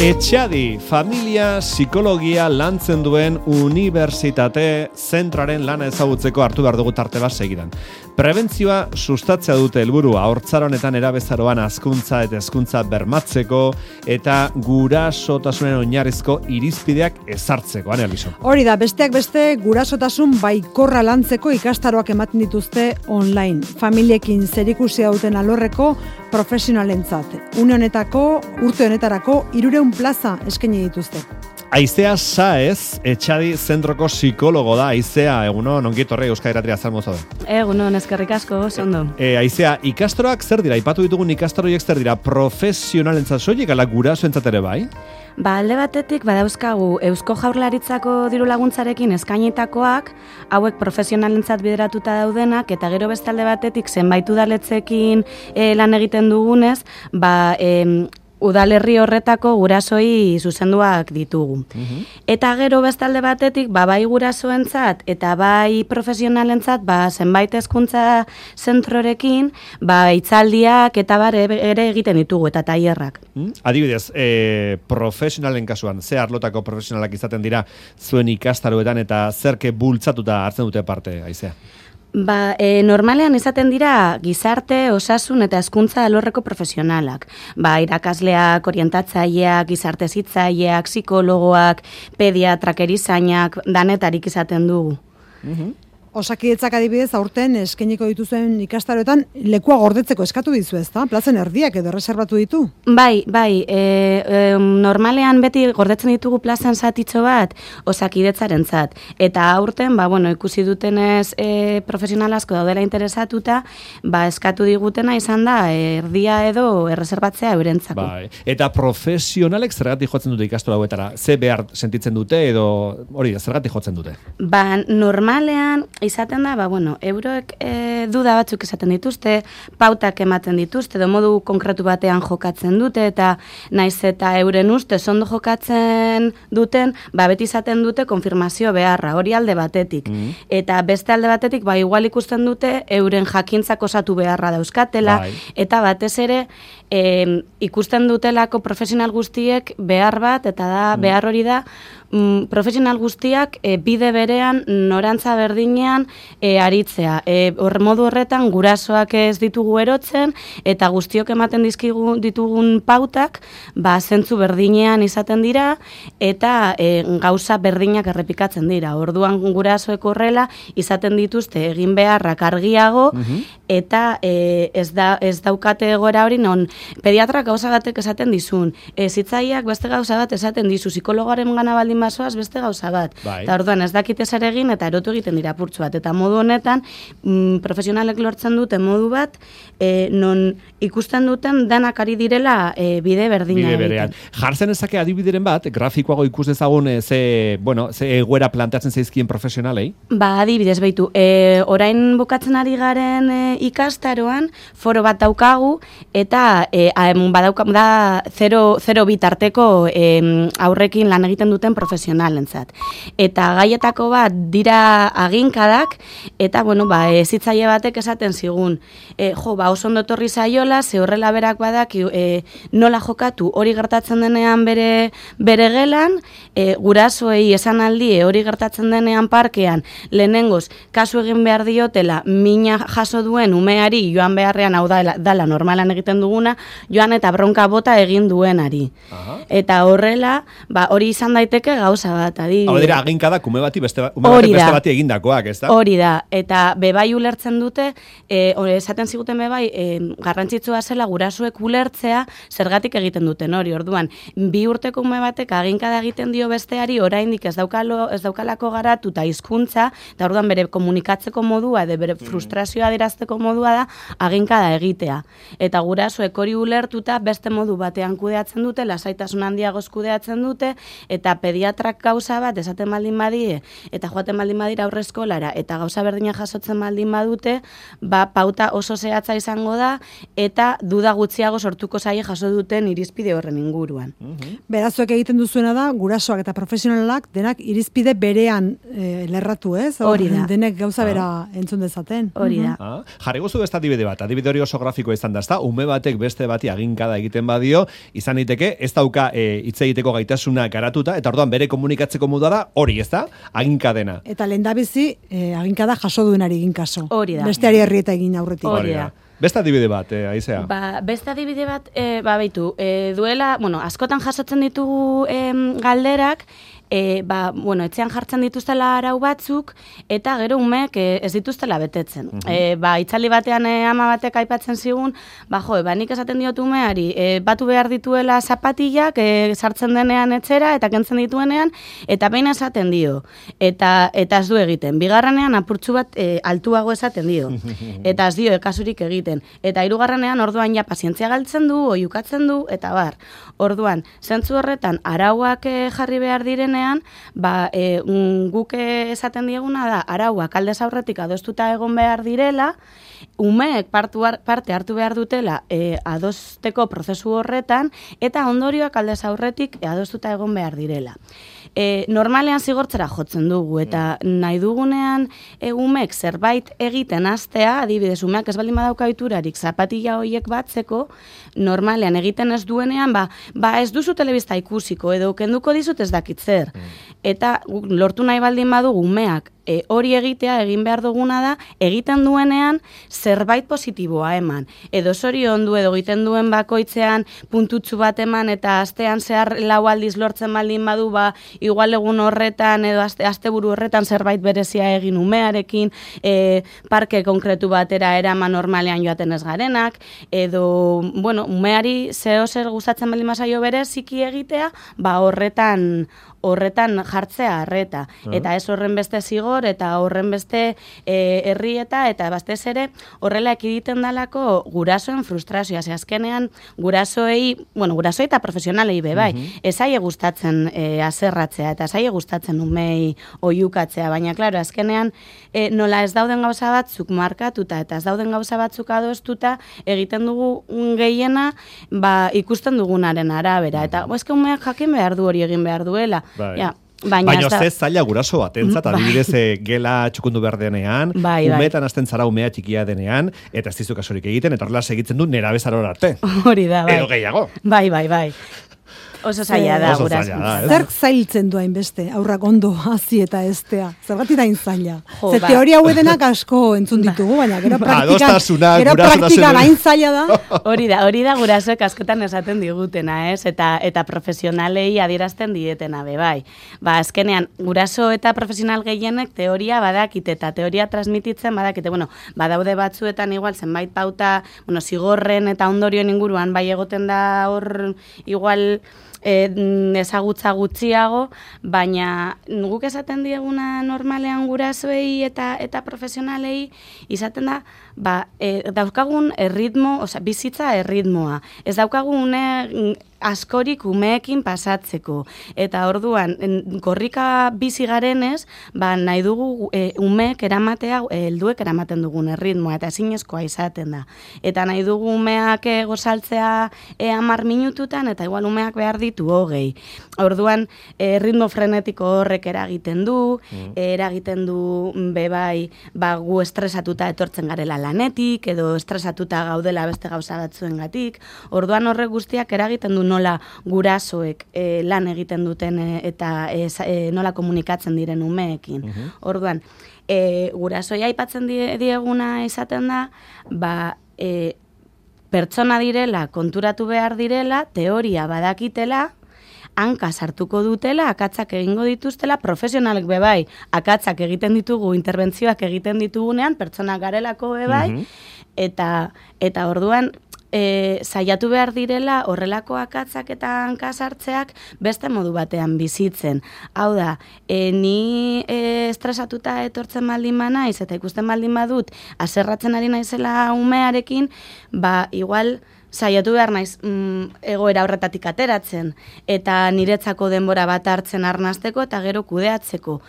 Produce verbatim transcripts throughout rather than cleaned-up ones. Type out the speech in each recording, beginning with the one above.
Etxadi, familia psikologia lantzen duen unibertsitate zentraren lana ezagutzeko hartu behar dugu tarte bat segidan. Prebentzioa sustatzea dute helburu haurtzaronetan erabezaroan hazkuntza eta hezkuntza bermatzeko eta gurasotasunen oinarrizko irizpideak ezartzeko. Ane, Aliso? Hori da, besteak beste gurasotasun baikorra lantzeko ikastaroak ematen dituzte online. Familiekin zerikusia duten alorreko profesionalentzat. Une honetako, urte honetarako hirurehun plaza eskaini dituzte. Aizea Saez, Etxadi zentroko psikologo da. Aizea, egunon, ongi etorri Euskadi Irratia zalmo zaude. Egunon, eskerrik asko, ondo. E, Aizea, ikastaroak zer dira? Ipatu ditugun ikastaroiek zer dira? Profesionalentzat soilik ala gurasoentzat ere bai? Ba, alde batetik badauzkagu Eusko Jaurlaritzako diru laguntzarekin eskainitakoak, hauek profesionalentzat bideratuta daudenak, eta gero beste alde batetik zenbait udaletxeekin e, lan egiten dugunez, ba, e, udalerri horretako gurasoi zuzenduak ditugu. Uh-huh. Eta gero bestalde batetik, ba, bai gurasoentzat eta bai profesionalentzat, ba, zenbait hezkuntza zentrorekin, ba, hitzaldiak eta bare ere egiten ditugu eta tailerrak. Hmm? Adibidez, e, profesionalen kasuan, ze arlotako profesionalak izaten dira zuen ikastaroetan eta zerke bultzatuta hartzen dute parte, Aizea? Ba, e, normalean izaten dira gizarte, osasun eta hezkuntza alorreko profesionalak. Ba, irakasleak, orientatzaileak, gizarte hezitzaileak, psikologoak, pediatrak, erizainak, danetarik izaten dugu. Mhm. Osakidetzak adibidez aurten eskainiko dituzuen ikastaroetan lekua gordetzeko eskatu dizu, ezta? Plazen erdiak edo reserbatu ditu? Bai, bai, e, e, normalean beti gordetzen ditugu plazan zatitxo bat osakidetzarentzat. Eta aurten, ba, bueno, ikusi dutenez e, profesional asko daudela interesatuta, ba, eskatu digutena izan da erdia edo erreserbatzea eurentzako. Bai. Eta profesionalek zergatik jotzen dute ikastaro hauetara? Ze behar sentitzen dute edo hori da, zergatik jotzen dute? Ba, normalean izaten da, ba, bueno, euroek e, duda batzuk izaten dituzte, pautak ematen dituzte, edo modu konkretu batean jokatzen dute, eta naiz eta euren uste ondo jokatzen duten, ba, beti izaten dute konfirmazio beharra, hori alde batetik. Mm. Eta beste alde batetik, ba, igual ikusten dute, euren jakintzak osatu beharra dauzkatela, bai. Eta batez ere, e, ikusten dutelako profesional guztiek behar bat, eta da, mm. behar hori da, mm, profesional guztiak e, bide berean, norantza berdinean, E, aritzea. E, hor modu horretan gurasoak ez ditugu erotzen eta guztiok ematen dizkigu ditugun pautak, ba, zentzu berdinean izaten dira eta e, gauza berdinak errepikatzen dira. Orduan gurasoek horrela izaten dituzte egin beharrak argiago uh-huh. eta e, ez, da, ez daukate egoera hori non pediatrak gauza batek esaten dizun, e, zitzaiak beste gauza bat esaten dizu, psikologoaren gana baldin basoaz beste gauza bat. Bai. Eta orduan ez dakite zer egin eta erotu egiten dira purtsu bat. Eta modu honetan, mm, profesionalek lortzen dute modu bat, e, non ikusten duten danak ari direla e, bide berdina. Bide berean. Jartzen ezake adibideren bat, grafikoago ikus dezagun e, ze, bueno, ze egoera planteatzen zaizkien profesionalei? Ba, adibidez baitu, e, orain bukatzen ari garen e, ikastaroan, foro bat daukagu, eta e, badauka, da zero bitarteko e, aurrekin lan egiten duten profesionalentzat. Eta gaietako bat dira aginkadak, eta, bueno, ba, ezitzaile batek esaten zigun, e, jo, ba, oso ondo torri zaiola, ze horrela berak badak, e, nola jokatu hori gertatzen denean bere, bere gelan, e, gurasoei esan aldi hori gertatzen denean parkean, lehenengoz, kasu egin behar diotela, mina jaso duen umeari, joan beharrean, hau dala, dala normalan egiten duguna, joan eta bronka bota egin duenari. Aha. Eta horrela, ba, hori izan daiteke gauza bat, adi. Hau dira, aginkadak ume bati beste, ume bati beste bati egindakoak, ez da? Hori da, eta bebai ulertzen dute, e, esaten ziguten bebai, e, garrantzitsua zela gurasoek ulertzea zergatik egiten duten hori. Orduan, bi urteko ume batek aginkada egiten dio besteari, oraindik ez daukalo, ez daukalako garatu eta hizkuntza, eta orduan bere komunikatzeko modua, edo bere frustrazioa adierazteko modua da aginkada egitea. Eta gurasoek hori ulertuta beste modu batean kudeatzen dute, lasaitasun handiagoz kudeatzen dute, eta pediatrik pediatrak gauza bat esaten baldin badie, eta joaten baldin badira aurre eskolara, eta gauza berdina jasotzen baldin badute, ba, pauta oso zehatza izango da, eta duda gutxiago sortuko zaie jaso duten irizpide horren inguruan. Mm-hmm. Berazuek egiten duzuena da, gurasoak eta profesionalak denak irizpide berean e, lerratu, ez? Hori da. Denek gauza bera ah. entzun dezaten. Hori da. Ah. Jarri guzu besta adibide bat, adibide hori oso grafikoa izan da, ezta? Ume batek beste bati aginkada egiten badio, izan liteke ez dauka hitz e, egiteko gaitasuna garatuta, eta orduan bere komunikatzeko modua da hori, ezta? Aginkadena. Eta lehendabizi e, aginkada jaso duenari egin kaso. Hori da. Besteari herrieta egin aurretik. Hori da. Beste adibide bat, eh, Aizea? Ba, beste adibide bat, eh, ba, baitu, eh, duela, bueno, askotan jasotzen ditugu eh, galderak, E, ba, bueno, etxean jartzen dituztela arau batzuk, eta gero umeek e, ez dituztela betetzen. Uh-huh. e, ba, itzali batean e, ama batek aipatzen zigun, ba, jo, ba, nik esaten diot umeari, e, batu behar dituela zapatillak, e, sartzen denean etxera, eta kentzen dituenean, eta behin esaten dio. Eta, eta ez du egiten. Bigarrenean apurtxu bat e, altuago esaten dio. Eta ez dio ekasurik egiten. Eta hirugarrenean orduan ja pazientzia galtzen du, oiukatzen du, eta bar. Orduan, zentzu horretan, arauak e, jarri behar direnean, ba, e, guk esaten dieguna da, arauak aldez aurretik adostuta egon behar direla, umeek parte hartu behar dutela e, adosteko prozesu horretan, eta ondorioak aldez aurretik adostuta egon behar direla. E, normalean zigortzera jotzen dugu, eta nahi dugunean e, umeek zerbait egiten hastea, adibidez, umeak ez baldin badauka ohiturarik zapatilla horiek batzeko, normalean egiten ez duenean, ba, ba ez duzu telebista ikusiko, edo kenduko dizut ez dakit zer. Eta lortu nahi baldin badugu umeak e, hori egitea, egin behar duguna da, egiten duenean zerbait positiboa eman. Edo zorion du, edo egiten duen bakoitzean puntutsu bat eman, eta astean zehar lau aldiz lortzen baldin badu, ba, igual egun horretan, edo aste, asteburu horretan zerbait berezia egin umearekin, e, parke konkretu batera eraman normalean joaten ez garenak, edo, bueno, umeari zeo zer gustatzen baldin mazaio bereziki egitea, ba, horretan, horretan jartzea arreta. Uh-huh. Eta ez horren beste zigor, eta horren beste e, herrieta, eta batez ere horrela ekiditen dalako gurasoen frustrazioa. Ze azkenean gurasoei, bueno, gurasoei eta profesionalei be bai, uh-huh. ez aie gustatzen e, azerratzea, eta ez aie gustatzen umei oiukatzea, baina klaro, azkenean e, nola ez dauden gauza batzuk markatuta, eta ez dauden gauza batzuk adostuta, egiten dugu gehiena, ba, ikusten dugunaren arabera. Eta uh-huh. ezke umeak jakin behar du hori egin behar duela. Bai. Ja, baina baina ez zaila guraso batentzat, adibidez bai. Gela txukundu behar denean, bai, umeetan hasten zara umea txikia denean, eta ez dizu kasurik egiten, eta horrela segitzen du nera bezarora arte. Hori da, bai. Edo gehiago. Bai, bai, bai. Oso zaila da, guraso. Zerk zailtzen du hainbeste, aurrak ondo hazi eta estea. Zergatik da zaila. Jo, Ze ba. teoria hauedenak asko entzun ditugu, baina gero praktikan, gero gurasotasuna praktikan hain zaila da. Hori da, hori da gurasoek askotan esaten digutena, ez? Eta eta profesionalei adierazten dietena be bai. Ba, azkenean guraso eta profesional gehienek teoria badakite eta teoria transmititzen badakite. Bueno, badaude batzuetan igual zenbait pauta, bueno, zigorren eta ondorioen inguruan bai egoten da hor igual E, ezagutza gutxiago, baina guk esaten dieguna normalean gurasoei eta eta profesionalei izaten da, ba, e, daukagun erritmo, osea, bizitza erritmoa. Ez daukagun une askorik umeekin pasatzeko. Eta orduan, korrika bizi garenez, ba, nahi dugu e, umeek eramatea, helduek eramaten dugun erritmoa, eta ezinezkoa izaten da. Eta nahi dugu umeak e, gozaltzea e, hamar minututan, eta igual umeak behar ditu hogei. Orduan, e, ritmo frenetiko horrek eragiten du, mm. eragiten du bebai, ba, gu estresatuta etortzen garela lanetik, edo estresatuta gaudela beste gauza batzuengatik. Orduan horrek guztiak eragiten du nola gurasoek e, lan egiten duten e, eta e, e, nola komunikatzen diren umeekin. Uh-huh. Orduan, e, gurasoia aipatzen die, dieguna izaten da, ba, e, pertsona direla, konturatu behar direla, teoria badakitela, hanka sartuko dutela, akatzak egingo dituztela, profesionalek bebai, akatzak egiten ditugu, interbentzioak egiten ditugunean, pertsona garelako bebai, uh-huh. eta, eta orduan, E, saiatu behar direla horrelako akatzak eta hankasartzeak beste modu batean bizitzen. Hau da, e, ni e, estresatuta etortzen baldin ba naiz eta ikusten baldin badut, haserratzen ari naizela umearekin, ba, igual saiatu behar naiz mm, egoera horretatik ateratzen, eta niretzako denbora bat hartzen arnasteko eta gero kudeatzeko.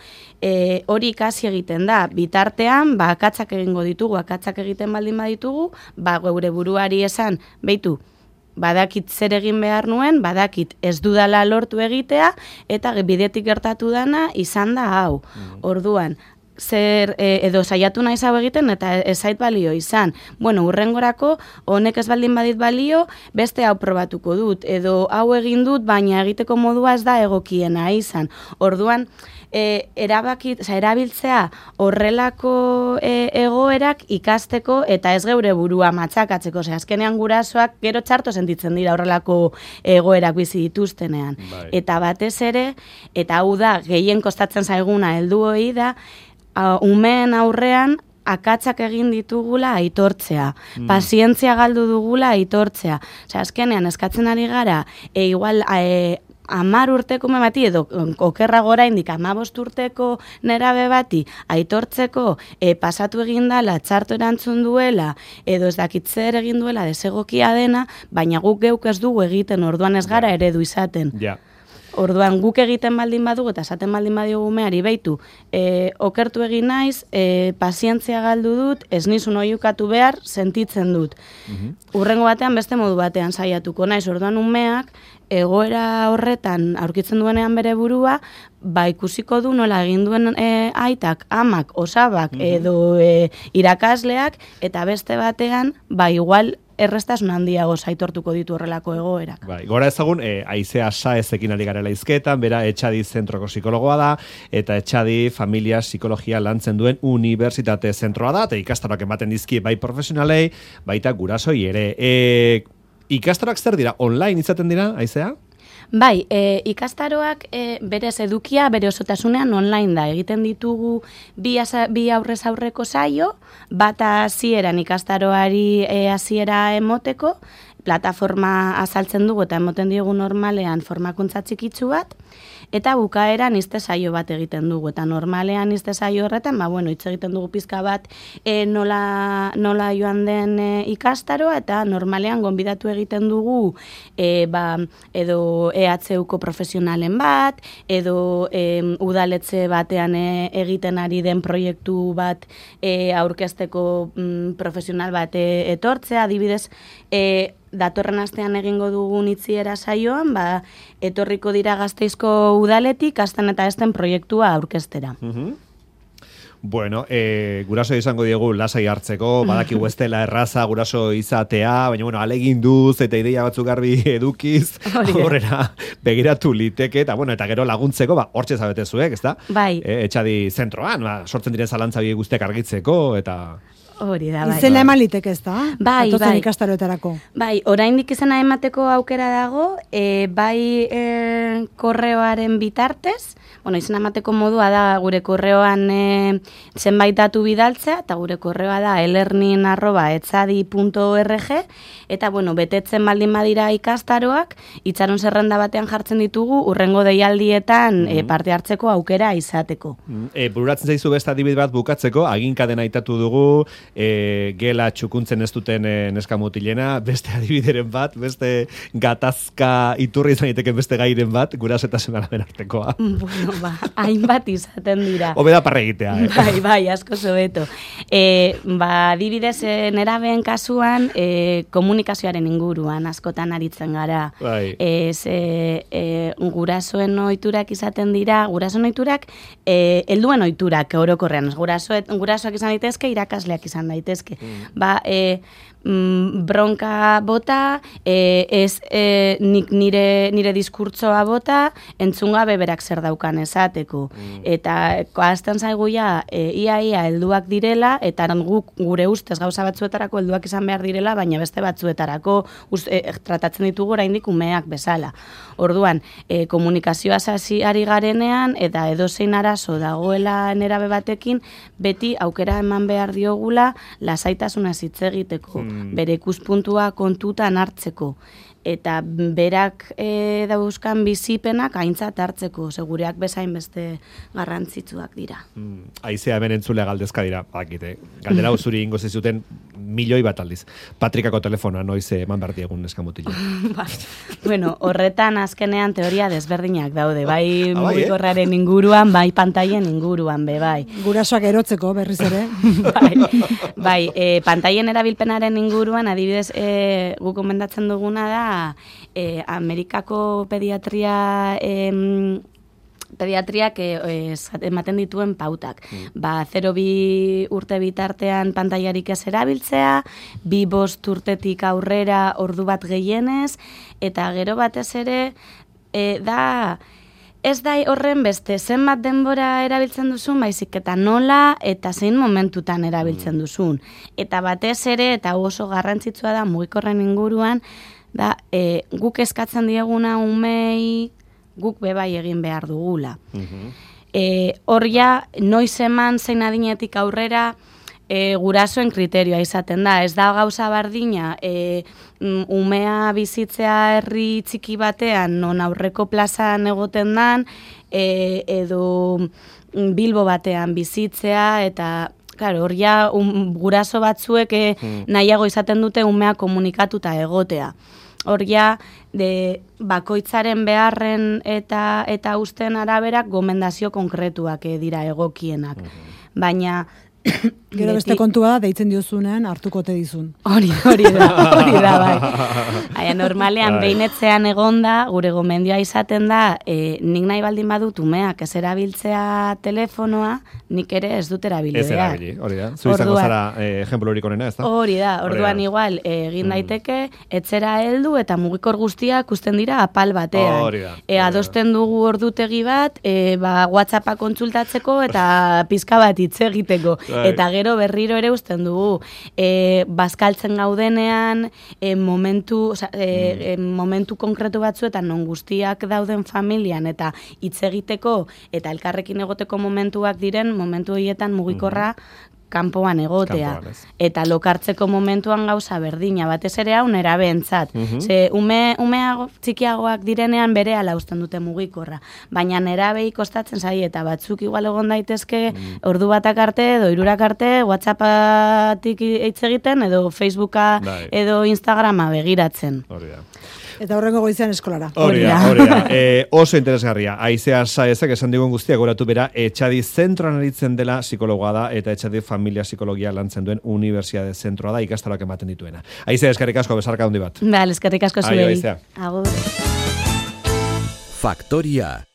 E, hori ikasi egiten da, bitartean, ba, akatzak egingo ditugu, akatzak egiten baldin baditugu, ba, geure buruari esan, beitu, badakit zer egin behar nuen, badakit ez dudala lortu egitea, eta bidetik gertatu dana izan da hau. Mm. Orduan, zer e, edo saiatu naiz hau egiten eta ez zait balio izan. Bueno, urrengorako honek ez baldin badit balio, beste hau probatuko dut, edo hau egin dut, baina egiteko modua ez da egokiena izan. Orduan, E, erabaki, oza, erabiltzea horrelako e, egoerak ikasteko eta ez geure burua matzakatzeko. Oza, azkenean gurasoak gero txarto sentitzen dira horrelako egoerak bizi dituztenean. Bai. Eta batez ere, eta hau da, gehien kostatzen zaiguna helduoi da, a, umeen aurrean akatzak egin ditugula aitortzea, mm. pazientzia galdu dugula aitortzea. Oza, azkenean eskatzen ari gara, e, igual... E, amar urteko me bati, edo okerra gora indik amabost urteko nerabe bati, aitortzeko e, pasatu egin dela, txarto erantzun duela, edo ez dakit zer egin duela, desegokia dena, baina guk geuk ez dugu egiten, orduan ez gara eredu izaten. Ja. Orduan guk egiten baldin badugu eta esaten baldin badiogu meari beitu, e, okertu egin naiz, e, pazientzia galdu dut, ez nizun oiukatu behar, sentitzen dut. Mm-hmm. Urrengo batean beste modu batean saiatuko naiz, orduan umeak, egoera horretan aurkitzen duenean bere burua, ba ikusiko du nola egin duen e, aitak, amak, osabak, mm-hmm. edo e, irakasleak, eta beste batean, ba igual errestasun handiago aitortuko ditu horrelako egoerak. Bai, gora ezagun, e, Aizea Saezekin ari garela hizketan, bera Etxadi zentroko psikologoa da, eta Etxadi familia psikologia lantzen duen unibertsitate zentroa da, eta ikastaroak ematen dizki bai profesionalei, baita gurasoi ere. E, ikastaroak zer dira? Online izaten dira, Aizea? Bai, e, ikastaroak e, berez edukia, bere osotasunean online da. Egiten ditugu bi, asa, bi aurrez aurreko saio, bata hasieran ikastaroari e, hasiera emoteko, plataforma azaltzen dugu eta emoten diogu normalean formakuntza txikitsu bat, eta bukaeran izte saio bat egiten dugu, eta normalean izte saio horretan, ba, bueno, hitz egiten dugu pizka bat e, nola, nola joan den e, ikastaroa, eta normalean gonbidatu egiten dugu e, ba, edo E H Uko profesionalen bat, edo e, udaletxe batean e, egiten ari den proiektu bat e, aurkezteko mm, profesional bat e, etortzea, adibidez, e, datorren astean egingo dugun itziera saioan, ba, etorriko dira Gasteizko udaletik, astan eta esten proiektua aurkeztera. Mm-hmm. Bueno, e, guraso izango diegu lasai hartzeko, badakigu ez dela erraza guraso izatea, baina bueno, alegin duz eta ideia batzuk garbi edukiz, horrela begiratu liteke, eta bueno, eta gero laguntzeko, ba, hortxe zabete zuek, ezta? Bai. E, Etxadi zentroan, ba, sortzen diren zalantza biek guztiak argitzeko, eta... Hori da, bai. Izena eman liteke ez da? Bai, bai. Ikastaroetarako. Bai, oraindik izena emateko aukera dago, e, bai e, korreoaren bitartez, bueno, izena emateko modua da gure korreoan e, zenbait datu bidaltzea, eta gure korreoa da e-learning arroba etxadi punto org, eta bueno, betetzen baldin badira ikastaroak, itxaron zerrenda batean jartzen ditugu, urrengo deialdietan mm. e, parte hartzeko aukera izateko. Mm. E, bururatzen zaizu beste adibide bat bukatzeko, aginkaden aitatu dugu, E, gela txukuntzen ez duten e, neska mutilena, beste adibideren bat, beste gatazka iturri izan daiteken beste gairen bat, gurasetasun araben artekoa. Bueno, ba, hainbat izaten dira. Hobeda parra egitea, eh? Bai, bai, asko zobeto. E, ba, adibidez, e, nerabeen kasuan, e, komunikazioaren inguruan askotan aritzen gara. Bai. E, ze, e, gurasoen ohiturak izaten dira, gurasoen ohiturak, e, helduen ohiturak orokorrean, gurasoet, gurasoak izan daitezke, irakasleak izan daitezke. Mm. Ba, e, mm, bronka bota, e, ez e, nik nire, nire diskurtsoa bota, entzunga beberak zer daukan esateko. Mm. Eta koazten zaigu ja, e, ia ia helduak direla, eta guk gure ustez gauza batzuetarako helduak izan behar direla, baina beste batzuetarako ust, e, tratatzen ditugu oraindik umeak bezala. Orduan, e, komunikazioa hasi ari garenean, eta edozein arazo dagoela nerabe batekin, beti aukera eman behar diogula lasaitasuna hitz egiteko, hmm. bere ikuspuntua kontutan hartzeko, eta berak e, dauzkan bizipenak aintzat hartzeko, segureak bezain beste garrantzitsuak dira. Hmm. Aizea hemen entzulea galdezka dira, bakite. Galdera zuri ingo zizuten milioi bat aldiz. Patrikako telefonoa noiz eman behar diegun neskamutila. Ba, bueno, horretan azkenean teoria desberdinak daude, bai mugikorraren inguruan, bai pantailen inguruan, be bai. Gurasoak erotzeko berriz ere. bai, bai e, pantailen erabilpenaren inguruan, adibidez, e, guk gomendatzen duguna da, e, Amerikako pediatria... E, pediatriak e, ematen dituen pautak. Mm. Ba, zero bi urte bitartean pantailarik ez erabiltzea, bi bost urtetik aurrera ordu bat gehienez, eta gero batez ere, e, da, ez da horren beste, zenbat denbora erabiltzen duzun, baizik eta nola eta zein momentutan erabiltzen duzun. Eta batez ere, eta oso garrantzitsua da mugikorren inguruan, da, e, guk eskatzen dieguna umei, guk bebai egin behar dugula. Uh-huh. E, hor ja, noiz eman zein adinetik aurrera e, gurasoen kriterioa izaten da. Ez da gauza bardina, e, umea bizitzea herri txiki batean, non aurreko plazan egoten dan, e, edo Bilbo batean bizitzea, eta claro, hor ja, um, guraso batzuek e, hmm. nahiago izaten dute umea komunikatuta egotea. Hor ja, de bakoitzaren beharren eta eta usten arabera gomendazio konkretuak dira egokienak. Uh-huh. Baina gero beste kontua da, deitzen diozunean hartuko te dizun. Hori, hori da, hori da, bai. Aia, normalean, behinetzean egonda, gure gomendioa izaten da, e, nik nahi baldin badut umeak ez erabiltzea telefonoa, nik ere ez dut erabili Ez erabili, hori da. Zu izango zara eh, ejemplo horik onena, ez da? Hori da, orduan igual, egin daiteke, etzera heldu eta mugikor guztiak usten dira apal batean. Hori da. E, adosten dugu ordutegi bat, e, ba, WhatsAppa kontsultatzeko eta pizka bat hitz egiteko. Eta gero berriro ere usten dugu, e, bazkaltzen gaudenean, e, momentu, oza, e, mm. momentu konkretu batzuetan non guztiak dauden familian eta hitz egiteko eta elkarrekin egoteko momentuak diren, momentu horietan mugikorra mm. kanpoan egotea. Kanpoan, eta lokartzeko momentuan gauza berdina, batez ere hau nerabentzat. Mm-hmm. Ze ume, umeago, txikiagoak direnean bere ala usten dute mugikorra. Baina nerabei kostatzen zai, eta batzuk igual egon daitezke mm. ordu batak arte, edo hirurak arte, WhatsAppatik hitz egiten, edo Facebooka, Dai. edo Instagrama begiratzen. Hori da. Eta horrengo goizean eskolara. Hori da, hori da. E, oso interesgarria. Aizea saezek esan digun guztiak goratu bera, Etxadi zentroan aritzen dela psikologoa da, eta Etxadi familia psikologia lantzen duen unibertsiade zentroa da, ikastaroak ematen dituena. Aizea, eskerrik asko, besarka handi bat. Bale, eskerrik asko zuei. Aio, Aizea. Agur. Faktoria.